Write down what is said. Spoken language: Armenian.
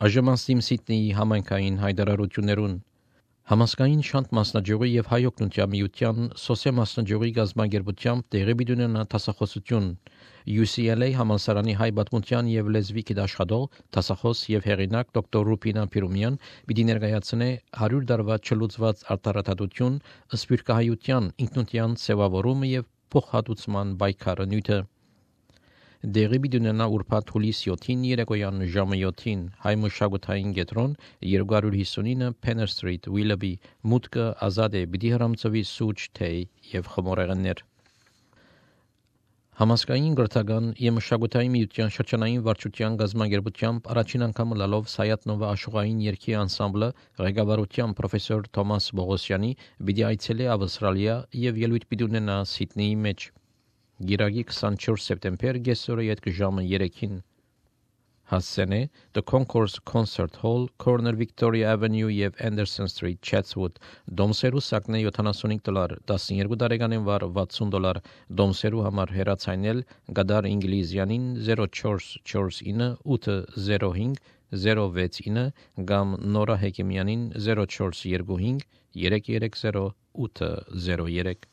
Աժմանստիմ Սիդնեի համայնքային հայտարարություններուն Համասկային շանտ մասնաճյուղի եւ հայ օգնության միության սոսիա մասնաճյուղի գազագերբությամբ տեղի բիդունենա տասախոսություն UCLA համալսարանի հայ պատմության եւ լեզվի գիտաշխատող տասախոս եւ հեղինակ դոկտոր Ռուպինա Փիրումյան պիտի ներկայացնե 100 տարվա չլուծված արտարադատություն սփյուռքահայության ինքնության սեվավորումը եւ փոխհատուցման պայքարը նյութը Դեղի բիդունենա ուրբաթ հուլիս 7-ին երեկոյան ժամը 7-ին հայ մշակութային կենտրոն 259 Penner Street, Willoughby, մուտքը ազատ է, պիտի հրամցվի սուրճ, թեյ եւ խմորեղեններ։ Համասկային գրթական եւ մշակութային միության շրջանային վարչության գազագերբությամբ առաջին անգամ լալով Սայաթնովա աշխուղային երգի անսամբլը ղեկավարության պրոֆեսոր Թոմաս Բողոսյանի պիտի այցելի Ավստրալիա եւ ելույթ պիտի ունենա Սիդնեի մեջ։ Գիրագի 24 սեպտեմբեր գեսորը յետք ժամը 3-ին հասցենե The Concourse Concert Hall, Corner Victoria Avenue եւ Anderson Street, Chatswood, Դոմսերու սակնե $75, 12 տարեկանին վար $60, Դոմսերու համար հեռացայնել գադար ինգլիզյանին 0449 805 069 կամ Նորա Հեկիմյանին 0425 330 803